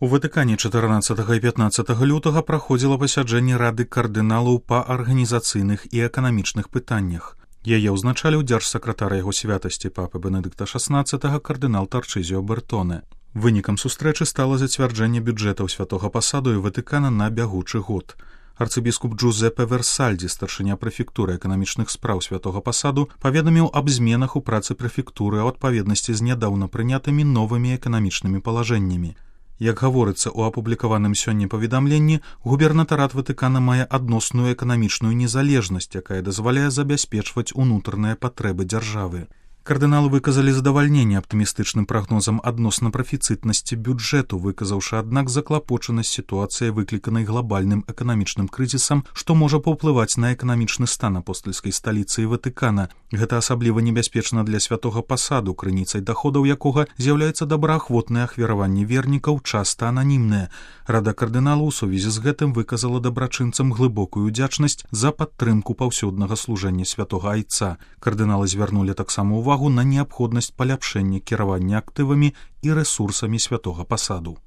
У Ватыкане 14 і 15 лютага праходзіла пасяджэнне Рады кардыналаў па арганізацыйных і эканамічных пытаннях. Яе ўзначаліў дзяржсакратар яго святасці папы Бенедыкта XVI кардынал Тарчызіо Бертоне. Вынікам сустрэчы стала зацвярджэнне бюджэтаў святога пасаду і Ватыкана на бягучы год. Арцыбіскуп Джузеппе Версальдзі, старшыня прэфектуры эканамічных спраў святога пасаду, паведаміў аб зменах у працы прэфектуры ў адпаведнасці з нядаўна прынятымі новымі эканамічнымі палажэннямі. Як гаворыцца ў апублікаваным сёння паведамленні, губернатарат Ватыкана мае адносную эканамічную незалежнасць, якая дазваляе забяспечваць унутраныя патрэбы дзяржавы. Кардыналы выказалі задавальненне аптымістычным прагнозам адносна прафіцытнасці бюджэту, выказаўшы, аднак, заклапочанасць сітуацыяй, выкліканай глобальным эканамічным крызісам, што можа паўплываць на эканамічны стан апостальскай сталіцы і Ватыкана. Гэта асабліва небяспечна для святога пасаду, крыніцай даходаў якога з'яўляецца добраахвотнае ахвяраванне вернікаў, часта ананімнае. Рада кардыналаў у сувязі з гэтым выказала дабрачынцам глыбокую ўдзячнасць за падтрымку паўсюднага служэння святога айца. Кардыналы звярнулі таксама увагу на неабходнасць паляпшэння кіравання актывамі і рэсурсамі святога пасаду.